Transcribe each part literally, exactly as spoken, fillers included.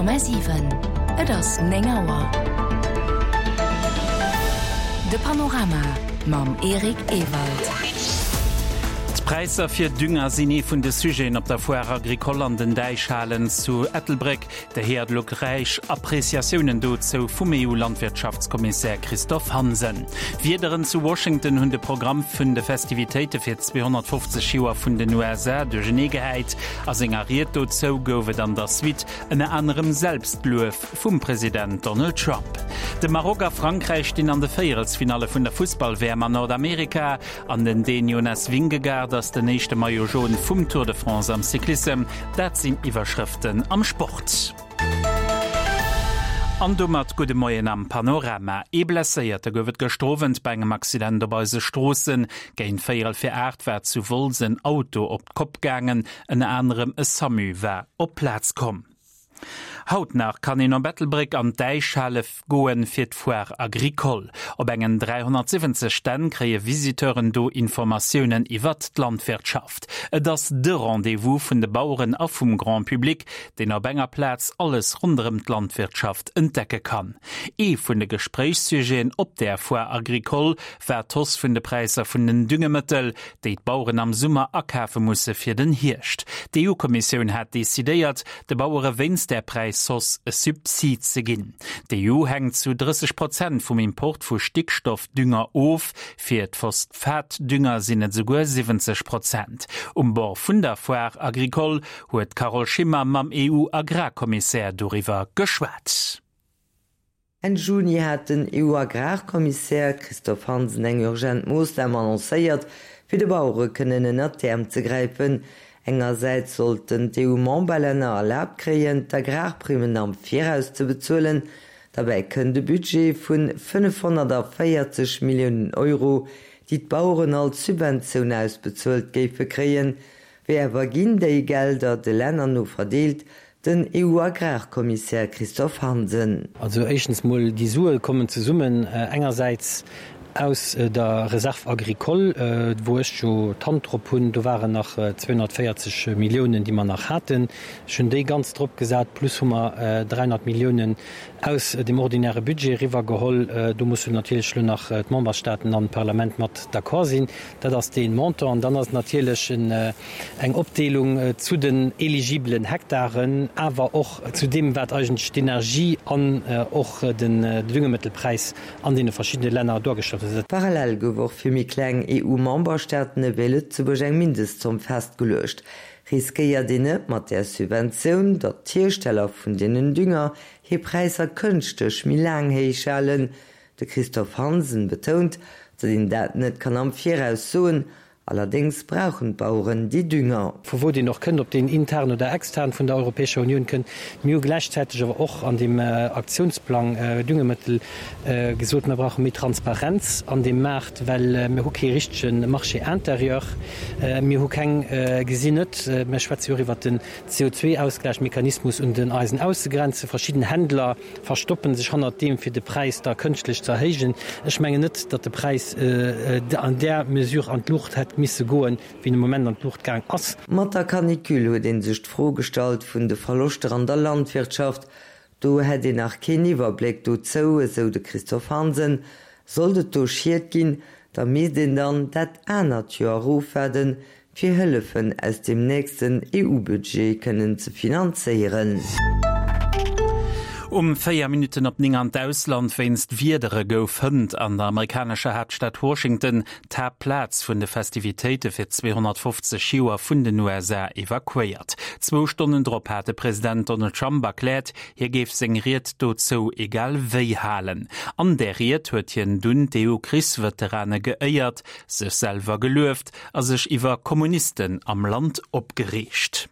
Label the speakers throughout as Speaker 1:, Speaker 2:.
Speaker 1: Komma siwen, Et ass néng Auer. De Panorama mam Eric Ewald.
Speaker 2: D'Präisser fir Dünger sinn ee vun de Sujeten op der Foire Agricole an den Däichhalen zu Ettelbréck. Der héiert elo gläich Appreciatiounen dozou vum EU-Landwirtschaftskommissär Christophe Hansen. D'Wiederen zu Washington hunn de Programm vun de Festivitéite fir zweehonnertfofzeg Joer vun den U S A duerchenee gehäit. A senger Ried dozou gouf et an der Suite ënner anerem Selbstluef vum President Donald Trump. De Maroc a Frankräich stinn an de Véierelsfinalle vun der Fussball-W M an Nordamerika an den Dän Jonas Vingegaard ass den éischte Maillot jaune vum Tour de France am Cyclissem. Dat sinn Iwwerschrëften am Sport. An domat gudde Moien am Panorama. Ee Blesséierte gouf et gëschter Owend bei engem Accident op eise Stroossen. Géint véierel fir aacht war zu Wolz en Auto op d'Kopp gaangen. Ënner anerem e SAMU war op d'Plaz komm. Haut nach kann een op Ettelbréck an d'Däichhale goen fir d'Foire Agricole. Op engen dräihonnertsiwwenzeg Stänn kréie Visiteuren do Informatiounen iwwert d'Landwirtschaft. Et ass de Rendez-vous vun de Baueren a vum Grand Public, deen op enger Plaz alles ronderëm d'Landwirtschaft entdecke kann. Ee vun de Gespréichssujeten op der Foire Agricole war d'Hausse vun de Präisser vun den Düngemëttel, déi d'Baueren am Summer akafe musse fir den Hierscht. D'E U-Kommissioun hat decidéiert, de Bauere wéinst der Präishausse e Subsid ze ginn. D'E U hänkt zu drësseg Prozent vum Import vu Stickstoffdünger of, fir d'Phosphatdünger sinn et souguer siwwenzeg Prozent. Um Bord vun der Foire Agricole huet Carole Schimmer mam E U-Agrarkommissär doriwwer geschwat.
Speaker 3: Enn Juni hat den E U-Agrarkommissär Christophe Hansen eng urgent Moossnam annoncéiert, fir de Bauere kënnen ënner d'Äerm ze gräifen. Engersäits sollten d'E U-Memberlänner erlaabt kréien, d'Agrarprimen am Viraus ze bezuelen. Dabei kënnt de Budget vun fënnefhonnertvéierzeg Milliounen Euro, déi d'Baueren als Subventioun ausbezuelt géife kréien. Wéi awer ginn déi Gelder de Länner no verdeelt, den E U-Agrarkommissär Christophe Hansen.
Speaker 4: Also éischtens mol, déi Sue kommen zesummen, engersäits aus der Reserve agricole, wou ech jo d'Hand drop hunn, do waren nach zweihundertvéierzeg Milliounen, déi mer nach haten. Ech hunn déi ganz drop gesat, plus hu mer dräihonnert Milliounen aus dem ordinäre Budget riwwergeholl. Do mussen natierlech lo nach d'Memberstaaten an d'Parlament mat d'accord sinn. Dat ass deen Montant. An dann ass natierlech en, eng Opdeelung zu den eligiblen Hektaren, awer och zu dem, wat eigentlech d'Energie an och den Düngemittelpreis an den verschiedenen Länder dargestellt huet.
Speaker 3: Parallel gouf och fir méi kleng E U-Memberstaaten ewéi Lëtzebuerg eng Mindestzomm festgeluecht. Riskéiert een net mat der Subventioun, datt d'Hiersteller vun deenen Dünger hir Präisser kënschtlech méi laang héich halen? De Christophe Hansen betount, datt een dat net kann am Viraus soen. Allerdings brauchen d'Bauern déi Dünger.
Speaker 4: Vu wou deen och kënnt, ob deen intern oder extern vun der Europäescher Unioun kënnt, mir hu gleichzeitig awer och an dem Aktionsplang Düngemittel gesot, mir brauchen méi Transparenz an dem Markt, well mir hu kee richtegen Marché intérieur, mir hu keng gesinn net, mir schwätzen jo och iwwer den C O zwei-Ausgleichmechanismus un den eisen Aussegrenzen. Verschiedene Händler verstoppen sich hannert dem, fir de Preis da künstlich ze erhéijen. Ech menge net, datt de Preis an der Mesure an d'Luucht hätt misse goen, wéi de Moment an d'Luucht gaang ass.
Speaker 3: Mat der Canicule huet een sech d'Fro gestallt vun de Verloschter an der Landwirtschaft. Do hätt een nach keen Iwwerbléck dozou, esou de Christophe Hansen. Sollt et do Schied ginn, da misst een dann dat anert Joer ofwaarden, fir Hëllefen aus dem nächsten E U-Budget kënnen ze finanzéieren.
Speaker 2: Um véier Minuten op ning an d'Ausland wéinst Wiedere gouf hënt an der amerikanescher Hauptstadt Washington d'Haaptplaz vun de Festivitéite fir zweehonnertfofzeg Joer vun den U S A evakuéiert. Zwou Stonnen drop hat de President Donald Trump erkläert, hie géif seng Ried dozou egal wéi halen. An der Ried huet hien dunn d'E U-Krichsveterane geéiert, sech selwer gelueft a sech iwwer Kommunisten am Land opgereegt.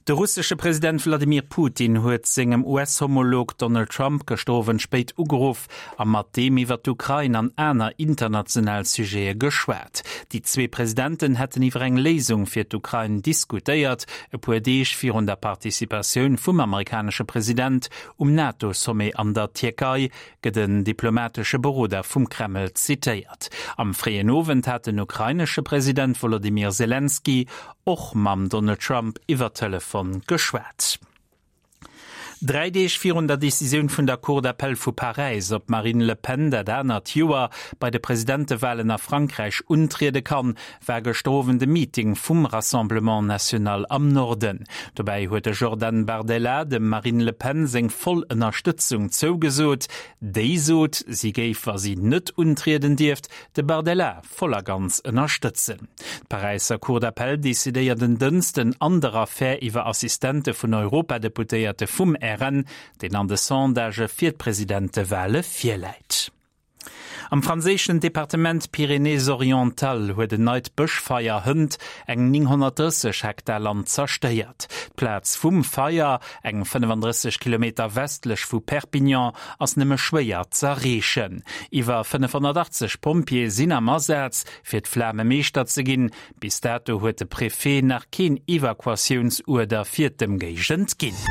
Speaker 2: De russische Präsident Wladimir Putin huet sengem U S-Homolog Donald Trump gëschter spéit ugeruff a mat deem iwwer d'Ukrain an aner international Sujete geschwat. Déi zwee Presidenten hätten iwwer eng Léisung fir d'Ukrain diskutéiert, e puer Deeg virun der Participatioun vum amerikanesche President um NATO-Sommet an der Tierkei gëtt en diplomatesche Beroder vum Kreml zitéiert. Am fréien Owend hat den ukrainesche President Volodymyr Zelensky och mam Donald Trump iwwer Telefon geschwat. Dräi Deeg virun der Decisioun vun der Cour d'appel vu Paräis, ob d'Marine Le Pen dat anert Joer bei de Presidentewalen a Frankräich untriede kann, war gëschter Owend e Meeting vum Rassemblement National am Norden. Dobäi huet de Jordan Bardella dem Marine Le Pen seng voll Ënnerstëtzung zougesot. Déi sot, si géif, wa si net untrieden dierft, de Bardella voll a ganz ënnerstëtzen. D'Paräisser Cour d'appel decidéiert en Dënsten an der Affär iwwer Assistente vun Europadeputéierte vum R N, deen an de Sondagë fir d'Presidentewale virläit. Am franséischen Departement Pyrénées-Orientales huet en neit Bëschfeier hënt eng nénghonnertdrësseg Hektar Land zerstéiert. D'Plaz vum Feier, eng fënnefandrësseg Kilometer westlech vu Perpignan, ass nëmme schwéier z'erreechen. Iwwer fënnefhonnertachtzeg Pompjeeë sinn am Asaz, fir d'Flame meeschter ze ginn. Bis dato huet de Préfet nach keen Evakuatiounsuerder fir d'Ëmgéigend ginn.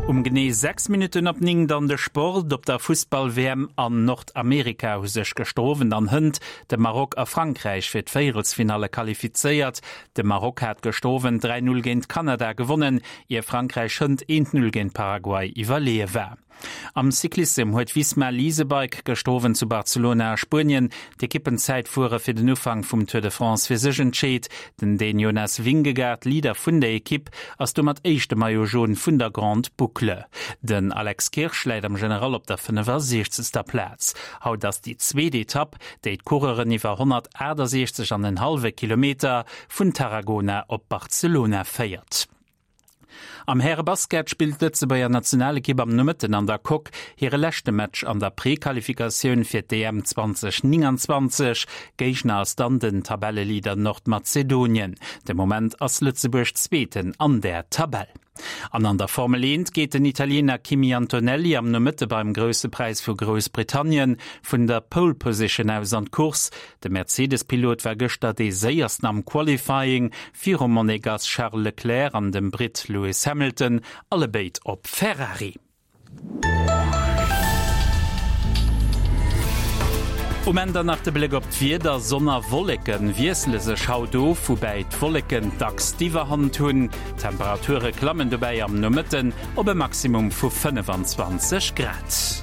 Speaker 2: Um genee sechs Minutten op néng dann de Sport. Op der Fussball-W M an Nordamerika hu sech gëschter Owend an hënt de Maroc a Frankräich fir d'Véierelsfinalle qualifizéiert. De Maroc hat gëschter Owend dräi Null géint Kanada gewonnen, ier Frankräich hënt eent Null géint Paraguay iwwerleeë war. Am Cyclissem huet Visma Lease a Bike gëschter Owend zu Barcelona a Spuenien d'Ekippenzäitfuere fir den Ufank vum Tour de France fir sech entscheet. Den Dän Jonas Vingegaard, Leader vun der Ekipp, ass domat éischte Maillot Jaune vun der Grande Boucle. Den Alex Kirsch läit am General op der fënnefasiechzegster Plaz. Haut ass déi zweet Etapp, déi d'Coureuren iwwer honnertaachtasechzeg an en hallwe Kilometer vun Tarragona op Barcelona féiert. Am Härebasket spillt d'Lëtzebuerger Nationalekipp am Nomëtten an der Coque hire leschte Match an der Prequalifikatioun fir d'E M zweedausendnénganzwanzeg. Géigner ass dann den Tabelleleader Nordmazedonien. De Moment ass Lëtzebuerg Zweeten an der Tabell. An an der Formel eent geet den Italiener Kimi Antonelli am Nomëtte beim Grousse Präis vu Groussbritannien vun der Pole Position aus an d'Course. De Mercedes-Pilot war gëschter dee séiersten am Qualifying virum Monegass Charles Leclerc an dem Britt Lewis Hamilton, allebéid op Ferrari. Um Enn dann nach de Bléck op d'Wieder, Sonn a Wolleke wiessele sech haut of, woubäi d'Wolleken dacks d'Iwwerhand hunn. D'Temperature klammen dobäi am Nomëtten op e Maximum vu fënnefenzwanzeg Grad.